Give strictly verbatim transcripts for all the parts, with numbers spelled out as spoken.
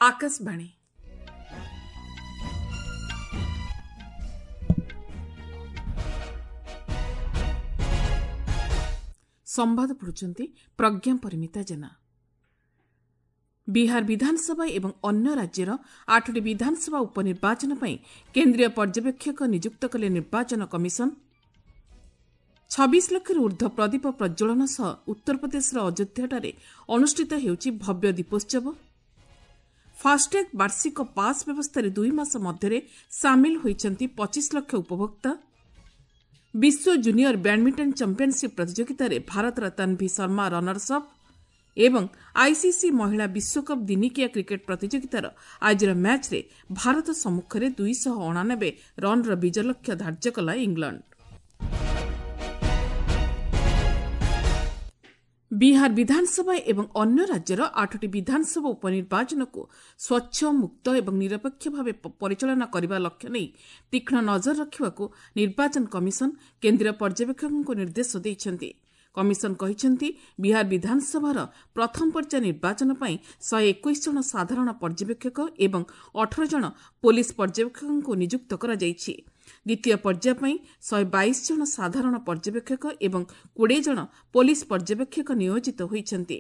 ଆକାଶବାଣୀ। ସମ୍ବାଦ ପଢ଼ୁଛନ୍ତି ପ୍ରଜ୍ଞା ପରିମିତା ଜେନା। ବିହାର ବିଧାନସଭା ଏବଂ ଅନ୍ୟ ରାଜ୍ୟର ଆଠଟି ବିଧାନସଭା ଉପନିର୍ବାଚନ ପାଇଁ କେନ୍ଦ୍ରୀୟ ପର୍ଯ୍ୟବେକ୍ଷକ ନିଯୁକ୍ତ କଲେ ନିର୍ବାଚନ କମିଶନ। ଛବିଶ ଲକ୍ଷରୁ ଊର୍ଦ୍ଧ୍ୱ ପ୍ରଦୀପ ପ୍ରଜ୍ୱଳନ ସହ ଉତ୍ତରପ୍ରଦେଶର ଅଯୋଧ୍ୟାଠାରେ ଅନୁଷ୍ଠିତ ହେଉଛି ଭବ୍ୟ ଦୀପୋତ୍ସବ। ଫାଷ୍ଟ୍ୟାଗ୍ ବାର୍ଷିକ ପାସ୍ ବ୍ୟବସ୍ଥାରେ ଦୁଇ ମାସ ମଧ୍ୟରେ ସାମିଲ ହୋଇଛନ୍ତି ପଚିଶ ଲକ୍ଷ ଉପଭୋକ୍ତା। ବିଶ୍ୱ ଜୁନିୟର ବ୍ୟାଡ୍ମିଣ୍ଟନ ଚାମ୍ପିୟନସିପ୍ ପ୍ରତିଯୋଗିତାରେ ଭାରତର ତନ୍ଭି ଶର୍ମା ରନର୍ସ ଅପ୍ ଏବଂ ଆଇସିସି ମହିଳା ବିଶ୍ୱକପ୍ ଦିନିକିଆ କ୍ରିକେଟ୍ ପ୍ରତିଯୋଗିତାର ଆଜିର ମ୍ୟାଚ୍ରେ ଭାରତ ସମ୍ମୁଖରେ ଦୁଇଶହ ଅଣାନବେ ରନ୍ର ବିଜୟ ଲକ୍ଷ୍ୟ ଧାର୍ଯ୍ୟ କଲା ଇଂଲଣ୍ଡ। ବିହାର ବିଧାନସଭା ଏବଂ ଅନ୍ୟ ରାଜ୍ୟର ଆଠଟି ବିଧାନସଭା ଉପନିର୍ବାଚନକୁ ସ୍ୱଚ୍ଛ, ମୁକ୍ତ ଏବଂ ନିରପେକ୍ଷ ଭାବେ ପରିଚାଳନା କରିବା ଲକ୍ଷ୍ୟ ନେଇ ତୀକ୍ଷ୍ଣ ନଜର ରଖିବାକୁ ନିର୍ବାଚନ କମିଶନ କେନ୍ଦ୍ରୀୟ ପର୍ଯ୍ୟବେକ୍ଷକଙ୍କୁ ନିର୍ଦ୍ଦେଶ ଦେଇଛନ୍ତି। କମିଶନ କହିଛନ୍ତି, ବିହାର ବିଧାନସଭାର ପ୍ରଥମ ପର୍ଯ୍ୟାୟ ନିର୍ବାଚନ ପାଇଁ ଶହେ ଏକୋଇଶ ଜଣ ସାଧାରଣ ପର୍ଯ୍ୟବେକ୍ଷକ ଏବଂ ଅଠର ଜଣ ପୋଲିସ ପର୍ଯ୍ୟବେକ୍ଷକଙ୍କୁ ନିଯୁକ୍ତ କରାଯାଇଛି। ଦ୍ୱିତୀୟ ପର୍ଯ୍ୟାୟ ପାଇଁ ଶହେ ବାଇଶ ଜଣ ସାଧାରଣ ପର୍ଯ୍ୟବେକ୍ଷକ ଏବଂ କୋଡ଼ିଏ ଜଣ ପୋଲିସ ପର୍ଯ୍ୟବେକ୍ଷକ ନିୟୋଜିତ ହୋଇଛନ୍ତି।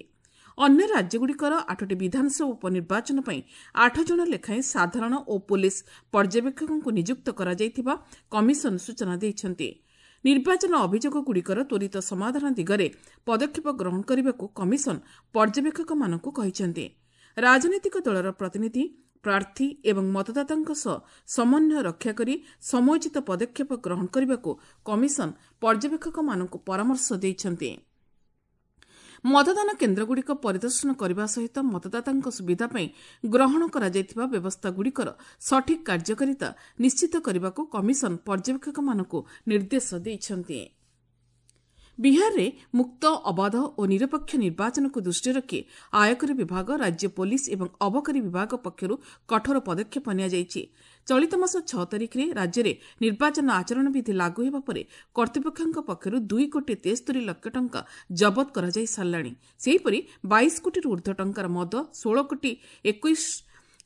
ଅନ୍ୟ ରାଜ୍ୟଗୁଡ଼ିକର ଆଠଟି ବିଧାନସଭା ଉପନିର୍ବାଚନ ପାଇଁ ଆଠ ଜଣ ଲେଖାଏଁ ସାଧାରଣ ଓ ପୋଲିସ ପର୍ଯ୍ୟବେକ୍ଷକଙ୍କୁ ନିଯୁକ୍ତ କରାଯାଇଥିବା କମିଶନ ସୂଚନା ଦେଇଛନ୍ତି। ନିର୍ବାଚନ ଅଭିଯୋଗଗୁଡ଼ିକର ତ୍ୱରିତ ସମାଧାନ ଦିଗରେ ପଦକ୍ଷେପ ଗ୍ରହଣ କରିବାକୁ କମିଶନ ପର୍ଯ୍ୟବେକ୍ଷକମାନଙ୍କୁ କହିଛନ୍ତି। ରାଜନୈତିକ ଦଳର ପ୍ରତିନିଧି, ପ୍ରାର୍ଥୀ ଏବଂ ମତଦାତାଙ୍କ ସହ ସମନ୍ୱୟ ରକ୍ଷା କରି ସମୟୋଚିତ ପଦକ୍ଷେପ ଗ୍ରହଣ କରିବାକୁ କମିଶନ ପର୍ଯ୍ୟବେକ୍ଷକମାନଙ୍କୁ ପରାମର୍ଶ ଦେଇଛନ୍ତି। ମତଦାନ କେନ୍ଦ୍ରଗୁଡ଼ିକ ପରିଦର୍ଶନ କରିବା ସହିତ ମତଦାତାଙ୍କ ସୁବିଧା ପାଇଁ ଗ୍ରହଣ କରାଯାଇଥିବା ବ୍ୟବସ୍ଥାଗୁଡ଼ିକର ସଠିକ୍ କାର୍ଯ୍ୟକାରିତା ନିଶ୍ଚିତ କରିବାକୁ କମିଶନ ପର୍ଯ୍ୟବେକ୍ଷକମାନଙ୍କୁ ନିର୍ଦ୍ଦେଶ ଦେଇଛନ୍ତି। ବିହାରରେ ମୁକ୍ତ, ଅବାଧ ଓ ନିରପେକ୍ଷ ନିର୍ବାଚନକୁ ଦୃଷ୍ଟିରେ ରଖି ଆୟକର ବିଭାଗ, ରାଜ୍ୟ ପୋଲିସ ଏବଂ ଅବକାରୀ ବିଭାଗ ପକ୍ଷରୁ କଠୋର ପଦକ୍ଷେପ ନିଆଯାଇଛି। ଚଳିତ ମାସ ଛଅ ତାରିଖରେ ରାଜ୍ୟରେ ନିର୍ବାଚନ ଆଚରଣ ବିଧି ଲାଗୁ ହେବା ପରେ କର୍ତ୍ତୃପକ୍ଷଙ୍କ ପକ୍ଷରୁ ଦୁଇ କୋଟି ତେସ୍ତରି ଲକ୍ଷ ଟଙ୍କା ଜବତ କରାଯାଇ ସାରିଲାଣି। ସେହିପରି ବାଇଶ କୋଟିରୁ ଊର୍ଦ୍ଧ୍ୱ ଟଙ୍କାର ମଦ, ଷୋହଳ କୋଟି ଏକୋଇଶ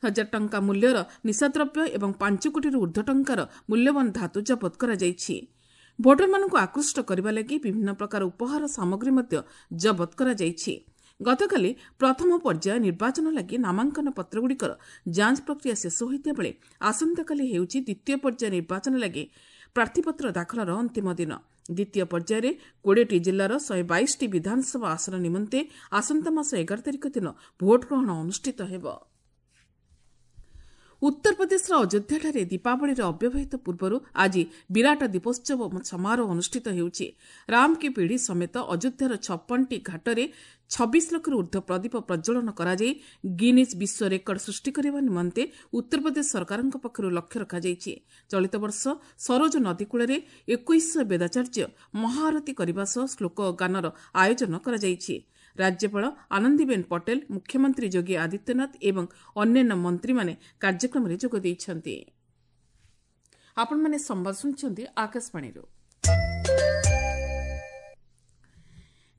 ହଜାର ଟଙ୍କା ମୂଲ୍ୟର ନିଶାଦ୍ରବ୍ୟ ଏବଂ ପାଞ୍ଚ କୋଟିରୁ ଊର୍ଦ୍ଧ୍ୱ ଟଙ୍କାର ମୂଲ୍ୟବାନ ଧାତୁ ଜବତ କରାଯାଇଛି। ଭୋଟରମାନଙ୍କୁ ଆକୃଷ୍ଟ କରିବା ଲାଗି ବିଭିନ୍ନ ପ୍ରକାର ଉପହାର ସାମଗ୍ରୀ ମଧ୍ୟ ଜବତ କରାଯାଇଛି। ଗତକାଲି ପ୍ରଥମ ପର୍ଯ୍ୟାୟ ନିର୍ବାଚନ ଲାଗି ନାମାଙ୍କନ ପତ୍ରଗୁଡ଼ିକର ଯାଞ୍ଚ ପ୍ରକ୍ରିୟା ଶେଷ ହୋଇଥିବା ବେଳେ ଆସନ୍ତାକାଲି ହେଉଛି ଦ୍ୱିତୀୟ ପର୍ଯ୍ୟାୟ ନିର୍ବାଚନ ଲାଗି ପ୍ରାର୍ଥୀପତ୍ର ଦାଖଲର ଅନ୍ତିମ ଦିନ। ଦ୍ୱିତୀୟ ପର୍ଯ୍ୟାୟରେ କୋଡ଼ିଏଟି ଜିଲ୍ଲାର ଶହେ ବାଇଶଟି ବିଧାନସଭା ଆସନ ନିମନ୍ତେ ଆସନ୍ତା ମାସ ଏଗାର ତାରିଖ ଦିନ ଭୋଟଗ୍ରହଣ ଅନୁଷ୍ଠିତ ହେବ। ଉତ୍ତରପ୍ରଦେଶର ଅଯୋଧ୍ୟାଠାରେ ଦୀପାବଳିର ଅବ୍ୟବହିତ ପୂର୍ବରୁ ଆଜି ବିରାଟ ଦୀପୋତ୍ସବ ସମାରୋହ ଅନୁଷ୍ଠିତ ହେଉଛି। ରାମ କି ପିଢ଼ି ସମେତ ଅଯୋଧ୍ୟାର ଛପନଟି ଘାଟରେ ଛବିଶ ଲକ୍ଷରୁ ଊର୍ଦ୍ଧ୍ୱ ପ୍ରଦୀପ ପ୍ରଜ୍ୱଳନ କରାଯାଇ ଗିନିଜ୍ ବିଶ୍ୱ ରେକର୍ଡ ସୃଷ୍ଟି କରିବା ନିମନ୍ତେ ଉତ୍ତରପ୍ରଦେଶ ସରକାରଙ୍କ ପକ୍ଷରୁ ଲକ୍ଷ୍ୟ ରଖାଯାଇଛି। ଚଳିତ ବର୍ଷ ସରୋଜ ନଦୀ କୂଳରେ ଏକୋଇଶଶହ ବେଦାଚାର୍ଯ୍ୟ ମହାଆରତୀ କରିବା ସହ ଶ୍ଲୋକ ଗାନର ଆୟୋଜନ କରାଯାଇଛି। ରାଜ୍ୟପାଳ ଆନନ୍ଦିବେନ୍ ପଟେଲ, ମୁଖ୍ୟମନ୍ତ୍ରୀ ଯୋଗୀ ଆଦିତ୍ୟନାଥ ଏବଂ ଅନ୍ୟାନ୍ୟ ମନ୍ତ୍ରୀମାନେ କାର୍ଯ୍ୟକ୍ରମରେ ଯୋଗ ଦେଇଛନ୍ତି। ଆପଣମାନେ ସମ୍ବାଦ ଶୁଣୁଛନ୍ତି ଆକାଶବାଣୀରୁ।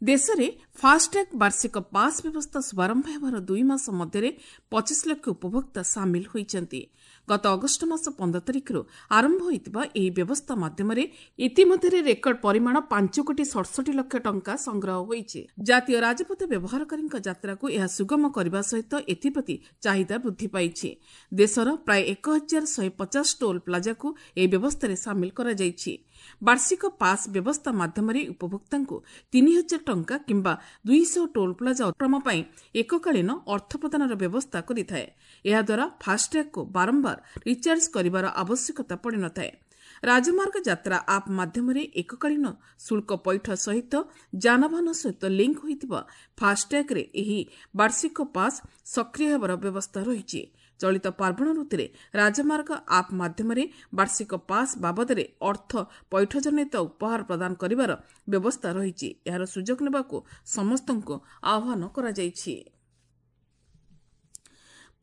ଦେଶରେ ଫାଷ୍ଟ୍ୟାଗ୍ ବାର୍ଷିକ ପାସ୍ ବ୍ୟବସ୍ଥା ଶୁଭାରମ୍ଭ ହେବାର ଦୁଇ ମାସ ମଧ୍ୟରେ ପଚିଶ ଲକ୍ଷ ଉପଭୋକ୍ତା ସାମିଲ ହୋଇଛନ୍ତି। ଗତ ଅଗଷ୍ଟ ମାସ ପନ୍ଦର ତାରିଖରୁ ଆରମ୍ଭ ହୋଇଥିବା ଏହି ବ୍ୟବସ୍ଥା ମାଧ୍ୟମରେ ଇତିମଧ୍ୟରେ ରେକର୍ଡ ପରିମାଣ ପାଞ୍ଚ କୋଟି ସଡ଼ଷଠି ଲକ୍ଷ ଟଙ୍କା ସଂଗ୍ରହ ହୋଇଛି। ଜାତୀୟ ରାଜପଥ ବ୍ୟବହାରକାରୀଙ୍କ ଯାତ୍ରାକୁ ଏହା ସୁଗମ କରିବା ସହିତ ଏଥିପ୍ରତି ଚାହିଦା ବୃଦ୍ଧି ପାଇଛି। ଦେଶର ପ୍ରାୟ ଏକ ହଜାର ଶହେ ପଚାଶ ଟୋଲ୍ ପ୍ଲାଜାକୁ ଏହି ବ୍ୟବସ୍ଥାରେ ସାମିଲ କରାଯାଇଛି। ବାର୍ଷିକ ପାସ୍ ବ୍ୟବସ୍ଥା ମାଧ୍ୟମରେ ଉପଭୋକ୍ତାଙ୍କୁ ତିନି ହଜାର ଟଙ୍କା କିମ୍ବା ଦୁଇଶହ ଟୋଲ୍ ପ୍ଲାଜା ଅତିକ୍ରମ ପାଇଁ ଏକକାଳୀନ ଅର୍ଥ ପ୍ରଦାନର ବ୍ୟବସ୍ଥା କରିଥାଏ। ଏହାଦ୍ୱାରା ଫାଷ୍ଟ୍ୟାଗ୍କୁ ବାରମ୍ବାର ରିଚାର୍ଜ କରିବାର ଆବଶ୍ୟକତା ପଡ଼ିନଥାଏ। ରାଜମାର୍ଗ ଯାତ୍ରା ଆପ୍ ମାଧ୍ୟମରେ ଏକକାଳୀନ ଶୁଳ୍କ ପୈଠ ସହିତ ଯାନବାହନ ସହିତ ଲିଙ୍କ୍ ହୋଇଥିବା ଫାଷ୍ଟ୍ୟାଗ୍ରେ ଏହି ବାର୍ଷିକ ପାସ୍ ସକ୍ରିୟ ହେବାର ବ୍ୟବସ୍ଥା ରହିଛି। ଚଳିତ ପାର୍ବଣ ଋତୁରେ ରାଜମାର୍ଗ ଆପ୍ ମାଧ୍ୟମରେ ବାର୍ଷିକ ପାସ୍ ବାବଦରେ ଅର୍ଥ ପୈଠଜନିତ ଉପହାର ପ୍ରଦାନ କରିବାର ବ୍ୟବସ୍ଥା ରହିଛି। ଏହାର ସୁଯୋଗ ନେବାକୁ ସମସ୍ତଙ୍କୁ ଆହ୍ୱାନ କରାଯାଇଛି।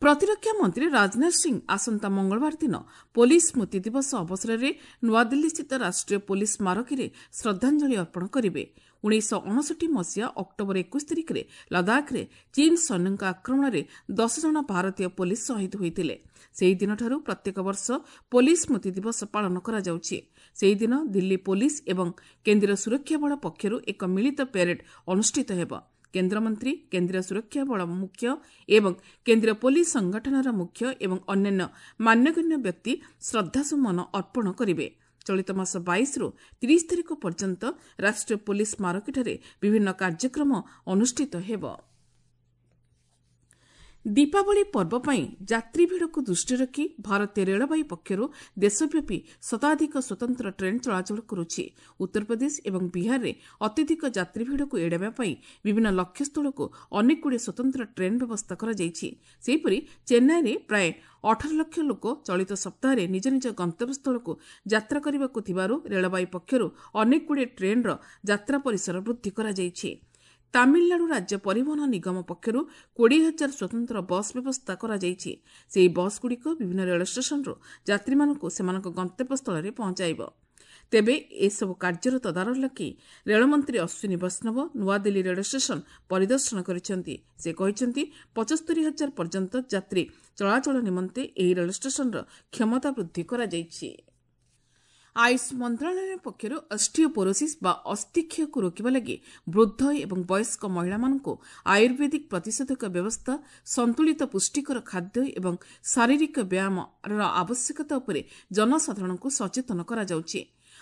ପ୍ରତିରକ୍ଷା ମନ୍ତ୍ରୀ ରାଜନାଥ ସିଂ ଆସନ୍ତା ମଙ୍ଗଳବାର ଦିନ ପୋଲିସ ସ୍ମୃତି ଦିବସ ଅବସରରେ ନୂଆଦିଲ୍ଲୀସ୍ଥିତ ରାଷ୍ଟ୍ରୀୟ ପୋଲିସ ସ୍ମାରକୀରେ ଶ୍ରଦ୍ଧାଞ୍ଜଳି ଅର୍ପଣ କରିବେ। ଉଣେଇଶହ ଅଣଷଠି ମସିହା ଅକ୍ଟୋବର ଏକୋଇଶ ତାରିଖରେ ଲଦାଖରେ ଚୀନ ସୈନ୍ୟଙ୍କ ଆକ୍ରମଣରେ ଦଶ ଜଣ ଭାରତୀୟ ପୋଲିସ ଶହୀଦ ହୋଇଥିଲେ। ସେହିଦିନଠାରୁ ପ୍ରତ୍ୟେକ ବର୍ଷ ପୋଲିସ ସ୍ମୃତି ଦିବସ ପାଳନ କରାଯାଉଛି। ସେହିଦିନ ଦିଲ୍ଲୀ ପୋଲିସ ଏବଂ କେନ୍ଦ୍ରୀୟ ସୁରକ୍ଷା ବଳ ପକ୍ଷରୁ ଏକ ମିଳିତ ପ୍ୟାରେଡ୍ ଅନୁଷ୍ଠିତ ହେବ। କେନ୍ଦ୍ରମନ୍ତ୍ରୀ, କେନ୍ଦ୍ରୀୟ ସୁରକ୍ଷା ବଳ ମୁଖ୍ୟ ଏବଂ କେନ୍ଦ୍ରୀୟ ପୋଲିସ ସଂଗଠନର ମୁଖ୍ୟ ଏବଂ ଅନ୍ୟାନ୍ୟ ମାନ୍ୟଗଣ୍ୟ ବ୍ୟକ୍ତି ଶ୍ରଦ୍ଧାସୁମନ ଅର୍ପଣ କରିବେ। ଚଳିତ ମାସ ବାଇଶରୁ ତିରିଶ ତାରିଖ ପର୍ଯ୍ୟନ୍ତ ରାଷ୍ଟ୍ରୀୟ ପୋଲିସ ସ୍ମାରକୀଠାରେ ବିଭିନ୍ନ କାର୍ଯ୍ୟକ୍ରମ ଅନୁଷ୍ଠିତ ହେବ। ଦୀପାବଳି ପର୍ବ ପାଇଁ ଯାତ୍ରୀ ଭିଡ଼କୁ ଦୃଷ୍ଟିରେ ରଖି ଭାରତୀୟ ରେଳବାଇ ପକ୍ଷରୁ ଦେଶବ୍ୟାପୀ ଶତାଧିକ ସ୍ୱତନ୍ତ୍ର ଟ୍ରେନ୍ ଚଳାଚଳ କରୁଛି। ଉତ୍ତରପ୍ରଦେଶ ଏବଂ ବିହାରରେ ଅତ୍ୟଧିକ ଯାତ୍ରୀ ଭିଡ଼କୁ ଏଡ଼ାଇବା ପାଇଁ ବିଭିନ୍ନ ଲକ୍ଷ୍ୟସ୍ଥଳକୁ ଅନେକଗୁଡ଼ିଏ ସ୍ୱତନ୍ତ୍ର ଟ୍ରେନ୍ ବ୍ୟବସ୍ଥା କରାଯାଇଛି। ସେହିପରି ଚେନ୍ନାଇରେ ପ୍ରାୟ ଅଠର ଲକ୍ଷ ଲୋକ ଚଳିତ ସପ୍ତାହରେ ନିଜ ନିଜ ଗନ୍ତବ୍ୟସ୍ଥଳକୁ ଯାତ୍ରା କରିବାକୁ ଥିବାରୁ ରେଳବାଇ ପକ୍ଷରୁ ଅନେକଗୁଡ଼ିଏ ଟ୍ରେନ୍ର ଯାତ୍ରା ପରିସର ବୃଦ୍ଧି କରାଯାଇଛି। ତାମିଲନାଡୁ ରାଜ୍ୟ ପରିବହନ ନିଗମ ପକ୍ଷରୁ କୋଡ଼ିଏ ହଜାର ସ୍ୱତନ୍ତ୍ର ବସ୍ ବ୍ୟବସ୍ଥା କରାଯାଇଛି। ସେହି ବସ୍ଗୁଡ଼ିକ ବିଭିନ୍ନ ରେଳ ଷ୍ଟେସନରୁ ଯାତ୍ରୀମାନଙ୍କୁ ସେମାନଙ୍କ ଗନ୍ତବ୍ୟସ୍ଥଳରେ ପହଞ୍ଚାଇବ। ତେବେ ଏସବୁ କାର୍ଯ୍ୟର ତଦାରଖ ଲାଗି ରେଳମନ୍ତ୍ରୀ ଅଶ୍ୱିନୀ ବୈଷ୍ଣବ ନୂଆଦିଲ୍ଲୀ ରେଳ ଷ୍ଟେସନ ପରିଦର୍ଶନ କରିଛନ୍ତି। ସେ କହିଛନ୍ତି, ପଞ୍ଚସ୍ତରୀ ହଜାର ପର୍ଯ୍ୟନ୍ତ ଯାତ୍ରୀ ଚଳାଚଳ ନିମନ୍ତେ ଏହି ରେଳ ଷ୍ଟେସନର କ୍ଷମତା ବୃଦ୍ଧି କରାଯାଇଛି। ଆୟୁଷ ମନ୍ତ୍ରଣାଳୟ ପକ୍ଷରୁ ଅଷ୍ଟିଓପୋରୋସିସ୍ ବା ଅସ୍ଥିକ୍ଷୟକୁ ରୋକିବା ଲାଗି ବୃଦ୍ଧ ଏବଂ ବୟସ୍କ ମହିଳାମାନଙ୍କୁ ଆୟୁର୍ବେଦିକ ପ୍ରତିଷେଧକ ବ୍ୟବସ୍ଥା, ସନ୍ତୁଳିତ ପୁଷ୍ଟିକର ଖାଦ୍ୟ ଏବଂ ଶାରୀରିକ ବ୍ୟାୟାମର ଆବଶ୍ୟକତା ଉପରେ ଜନସାଧାରଣଙ୍କୁ ସଚେତନ କରାଯାଉଛି।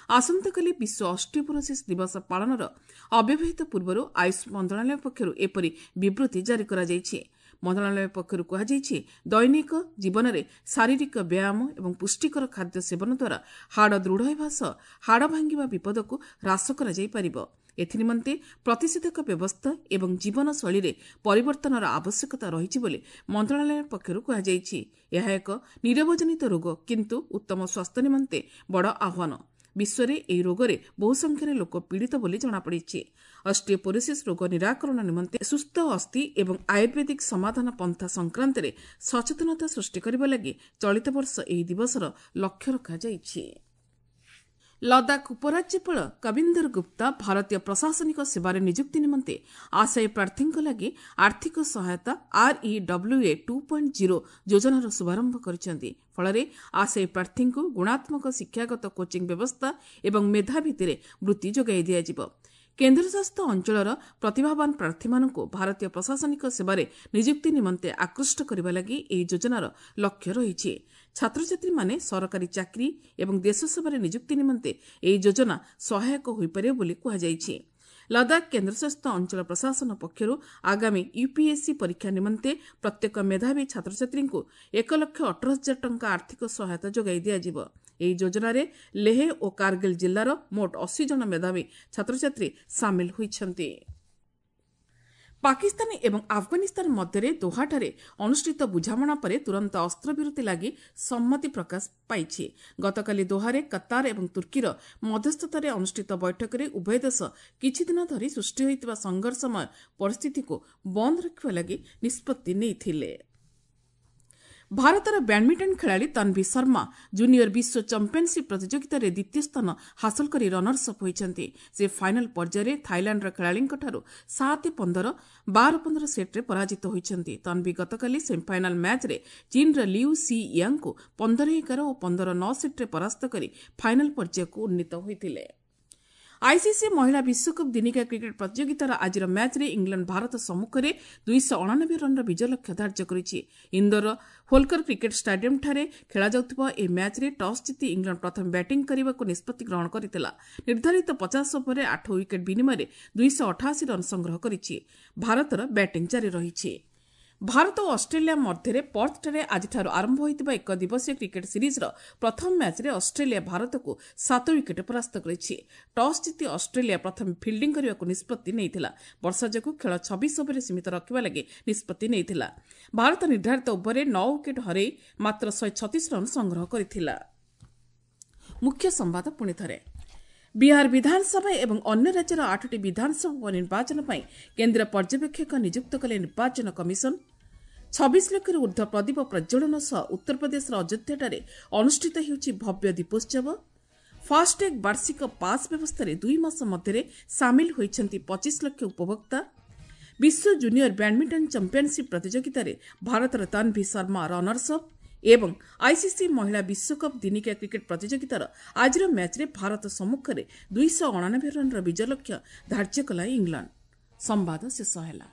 ଆସନ୍ତାକାଲି ବିଶ୍ୱ ଅଷ୍ଟିଓପୋରୋସିସ୍ ଦିବସ ପାଳନର ଅବ୍ୟବହିତ ପୂର୍ବରୁ ଆୟୁଷ ମନ୍ତ୍ରଣାଳୟ ପକ୍ଷରୁ ଏପରି ବିବୃତି ଜାରି କରାଯାଇଛି। ମନ୍ତ୍ରଣାଳୟ ପକ୍ଷରୁ କୁହାଯାଇଛି, ଦୈନିକ ଜୀବନରେ ଶାରୀରିକ ବ୍ୟାୟାମ ଏବଂ ପୁଷ୍ଟିକର ଖାଦ୍ୟ ସେବନ ଦ୍ୱାରା ହାଡ଼ ଦୃଢ଼ ହେବା ସହ ହାଡ଼ ଭାଙ୍ଗିବା ବିପଦକୁ ହ୍ରାସ କରାଯାଇପାରିବ। ଏଥିନିମନ୍ତେ ପ୍ରତିଷେଧକ ବ୍ୟବସ୍ଥା ଏବଂ ଜୀବନଶୈଳୀରେ ପରିବର୍ତ୍ତନର ଆବଶ୍ୟକତା ରହିଛି ବୋଲି ମନ୍ତ୍ରଣାଳୟ ପକ୍ଷରୁ କୁହାଯାଇଛି। ଏହା ଏକ ନିରବଜନିତ ରୋଗ, କିନ୍ତୁ ଉତ୍ତମ ସ୍ୱାସ୍ଥ୍ୟ ନିମନ୍ତେ ବଡ଼ ଆହ୍ୱାନ। ବିଶ୍ୱରେ ଏହି ରୋଗରେ ବହୁ ସଂଖ୍ୟାରେ ଲୋକ ପୀଡ଼ିତ ବୋଲି ଜଣାପଡ଼ିଛି। ଅଷ୍ଟିଓପୋରୋସିସ୍ ରୋଗ ନିରାକରଣ ନିମନ୍ତେ ସୁସ୍ଥ ଅସ୍ଥି ଏବଂ ଆୟୁର୍ବେଦିକ ସମାଧାନ ପନ୍ଥା ସଂକ୍ରାନ୍ତରେ ସଚେତନତା ସୃଷ୍ଟି କରିବା ଲାଗି ଚଳିତ ବର୍ଷ ଏହି ଦିବସର ଲକ୍ଷ୍ୟ ରଖାଯାଇଛି। ଲଦାଖ ଉପରାଜ୍ୟପାଳ କବିନ୍ଦର ଗୁପ୍ତା ଭାରତୀୟ ପ୍ରଶାସନିକ ସେବାରେ ନିଯୁକ୍ତି ନିମନ୍ତେ ଆଶାୟୀ ପ୍ରାର୍ଥୀଙ୍କ ଲାଗି ଆର୍ଥିକ ସହାୟତା ଆର୍ଇଡବ୍ଲ୍ୟୁଏ ଟୁ ପଏଣ୍ଟ ଜିରୋ ଯୋଜନାର ଶୁଭାରମ୍ଭ କରିଛନ୍ତି। ଫଳରେ ଆଶାୟୀ ପ୍ରାର୍ଥୀଙ୍କୁ ଗୁଣାତ୍ମକ ଶିକ୍ଷାଗତ କୋଚିଂ ବ୍ୟବସ୍ଥା ଏବଂ ମେଧା ଭିତ୍ତିରେ ବୃତ୍ତି ଯୋଗାଇ ଦିଆଯିବ। କେନ୍ଦ୍ରଶାସିତ ଅଞ୍ଚଳର ପ୍ରତିଭାବାନ ପ୍ରାର୍ଥୀମାନଙ୍କୁ ଭାରତୀୟ ପ୍ରଶାସନିକ ସେବାରେ ନିଯୁକ୍ତି ନିମନ୍ତେ ଆକୃଷ୍ଟ କରିବା ଲାଗି ଏହି ଯୋଜନାର ଲକ୍ଷ୍ୟ ରହିଛି। ଛାତ୍ରଛାତ୍ରୀମାନେ ସରକାରୀ ଚାକିରି ଏବଂ ଦେଶ ସେବାରେ ନିଯୁକ୍ତି ନିମନ୍ତେ ଏହି ଯୋଜନା ସହାୟକ ହୋଇପାରିବ ବୋଲି କୁହାଯାଇଛି। ଲଦାଖ କେନ୍ଦ୍ରଶାସିତ ଅଞ୍ଚଳ ପ୍ରଶାସନ ପକ୍ଷରୁ ଆଗାମୀ ୟୁପିଏସ୍ସି ପରୀକ୍ଷା ନିମନ୍ତେ ପ୍ରତ୍ୟେକ ମେଧାବୀ ଛାତ୍ରଛାତ୍ରୀଙ୍କୁ ଏକ ଲକ୍ଷ ଅଠର ହଜାର ଟଙ୍କା ଆର୍ଥିକ ସହାୟତା ଯୋଗାଇ ଦିଆଯିବ। ଏହି ଯୋଜନାରେ ଲେହ ଓ କାର୍ଗିଲ ଜିଲ୍ଲାର ମୋଟ ଅଶୀ ଜଣ ମେଧାବୀ ଛାତ୍ରଛାତ୍ରୀ ସାମିଲ ହୋଇଛନ୍ତି। ପାକିସ୍ତାନ ଏବଂ ଆଫଗାନିସ୍ତାନ ମଧ୍ୟରେ ଦୋହାଠାରେ ଅନୁଷ୍ଠିତ ବୁଝାମଣା ପରେ ତୁରନ୍ତ ଅସ୍ତ୍ରବିରତି ଲାଗି ସମ୍ମତି ପ୍ରକାଶ ପାଇଛି। ଗତକାଲି ଦୋହାରେ କତାର ଏବଂ ତୁର୍କୀର ମଧ୍ୟସ୍ଥତାରେ ଅନୁଷ୍ଠିତ ବୈଠକରେ ଉଭୟ ଦେଶ କିଛିଦିନ ଧରି ସୃଷ୍ଟି ହୋଇଥିବା ସଂଘର୍ଷମୟ ପରିସ୍ଥିତିକୁ ବନ୍ଦ ରଖିବା ଲାଗି ନିଷ୍ପତ୍ତି ନେଇଥିଲେ। ଭାରତର ବ୍ୟାଡମିଣ୍ଟନ ଖେଳାଳି ତନ୍ଭି ଶର୍ମା ଜୁନିୟର ବିଶ୍ୱ ଚାମ୍ପିୟନସିପ୍ ପ୍ରତିଯୋଗିତାରେ ଦ୍ୱିତୀୟ ସ୍ଥାନ ହାସଲ କରି ରନର୍ସ ଅପ୍ ହୋଇଛନ୍ତି। ସେ ଫାଇନାଲ ପର୍ଯ୍ୟାୟରେ ଥାଇଲାଣ୍ଡର ଖେଳାଳିଙ୍କଠାରୁ ସାତ ପନ୍ଦର ବାର ପନ୍ଦର ସେଟ୍ରେ ପରାଜିତ ହୋଇଛନ୍ତି। ତନ୍ଭି ଗତକାଲି ସେମିଫାଇନାଲ ମ୍ୟାଚ୍ରେ ଚୀନର ଲିଉ ସି ୟାଙ୍ଗଙ୍କୁ ପନ୍ଦର ଏଗାର ଓ ପନ୍ଦର ନଅ ସେଟ୍ରେ ପରାସ୍ତ କରି ଫାଇନାଲ ପର୍ଯ୍ୟାୟକୁ ଉନ୍ନୀତ ହୋଇଥିଲେ। ଆଇସିସି ମହିଳା ବିଶ୍ୱକପ୍ ଦିନିକିଆ କ୍ରିକେଟ୍ ପ୍ରତିଯୋଗିତାର ଆଜିର ମ୍ୟାଚ୍ରେ ଇଂଲଣ୍ଡ ଭାରତ ସମ୍ମୁଖରେ ଦୁଇଶହ ଅଣାନବେ ରନ୍ର ବିଜୟ ଲକ୍ଷ୍ୟ ଧାର୍ଯ୍ୟ କରିଛି। ଇନ୍ଦୋରର ହୋଲକର କ୍ରିକେଟ୍ ଷ୍ଟାଡିୟମ୍ଠାରେ ଖେଳାଯାଉଥିବା ଏହି ମ୍ୟାଚ୍ରେ ଟସ୍ ଜିତି ଇଂଲଣ୍ଡ ପ୍ରଥମେ ବ୍ୟାଟିଂ କରିବାକୁ ନିଷ୍ପତ୍ତି ଗ୍ରହଣ କରିଥିଲା। ନିର୍ଦ୍ଧାରିତ ପଚାଶ ଓଭରରେ ଆଠ ୱିକେଟ୍ ବିନିମୟରେ ଦୁଇଶହ ଅଠାଅଶୀ ରନ୍ ସଂଗ୍ରହ କରିଛି। ଭାରତର ବ୍ୟାଟିଂ ଜାରି ରହିଛି। ଭାରତ ଓ ଅଷ୍ଟ୍ରେଲିଆ ମଧ୍ୟରେ ପର୍ଥଠାରେ ଆଜିଠାରୁ ଆରମ୍ଭ ହୋଇଥିବା ଏକ ଦିବସୀୟ କ୍ରିକେଟ୍ ସିରିଜ୍ର ପ୍ରଥମ ମ୍ୟାଚ୍ରେ ଅଷ୍ଟ୍ରେଲିଆ ଭାରତକୁ ସାତ ୱିକେଟ୍ ପରାସ୍ତ କରିଛି। ଟସ୍ ଜିତି ଅଷ୍ଟ୍ରେଲିଆ ପ୍ରଥମେ ଫିଲ୍ଡିଂ କରିବାକୁ ନିଷ୍ପତ୍ତି ନେଇଥିଲା। ବର୍ଷା ଯୋଗୁଁ ଖେଳ ଛବିଶ ଓଭରରେ ସୀମିତ ରଖିବା ଲାଗି ନିଷ୍ପତ୍ତି ନେଇଥିଲା। ଭାରତ ନିର୍ଦ୍ଧାରିତ ଓଭରରେ ନଅ ୱିକେଟ୍ ହରାଇ ମାତ୍ର ଶହେ ଛତିଶ ରନ୍ ସଂଗ୍ରହ କରିଥିଲା। ମୁଖ୍ୟ ସମ୍ବାଦ ପୁଣି ଥରେ। ବିହାର ବିଧାନସଭା ଏବଂ ଅନ୍ୟ ରାଜ୍ୟର ଆଠଟି ବିଧାନସଭା ଉପନିର୍ବାଚନ ପାଇଁ କେନ୍ଦ୍ର ପର୍ଯ୍ୟବେକ୍ଷକ ନିଯୁକ୍ତ କଲେ ନିର୍ବାଚନ କମିଶନ। ଛବିଶ ଲକ୍ଷରୁ ଉର୍ଦ୍ଧ୍ୱ ପ୍ରଦୀପ ପ୍ରଜ୍ୱଳନ ସହ ଉତ୍ତରପ୍ରଦେଶର ଅଯୋଧ୍ୟାଠାରେ ଅନୁଷ୍ଠିତ ହେଉଛି ଭବ୍ୟ ଦୀପୋତ୍ସବ। ଫାସ୍ଟ୍ୟାଗ୍ ବାର୍ଷିକ ପାସ୍ ବ୍ୟବସ୍ଥାରେ ଦୁଇ ମାସ ମଧ୍ୟରେ ସାମିଲ ହୋଇଛନ୍ତି ପଚିଶ ଲକ୍ଷ ଉପଭୋକ୍ତା। ବିଶ୍ୱ ଜୁନିୟର ବ୍ୟାଡ୍ମିଣ୍ଟନ ଚାମ୍ପିୟନସିପ୍ ପ୍ରତିଯୋଗିତାରେ ଭାରତର ତନ୍ଭି ଶର୍ମା ରନର୍ସ ଅପ୍ ଏବଂ ଆଇସିସି ମହିଳା ବିଶ୍ୱକପ୍ ଦିନିକିଆ କ୍ରିକେଟ୍ ପ୍ରତିଯୋଗିତାର ଆଜିର ମ୍ୟାଚ୍ରେ ଭାରତ ସମ୍ମୁଖରେ ଦୁଇଶହ ଅଣାନବେ ରନ୍ର ବିଜୟ ଲକ୍ଷ୍ୟ ଧାର୍ଯ୍ୟ କଲା ଇଂଲଣ୍ଡ। ସମ୍ବାଦ ଶେଷ ହେଲା।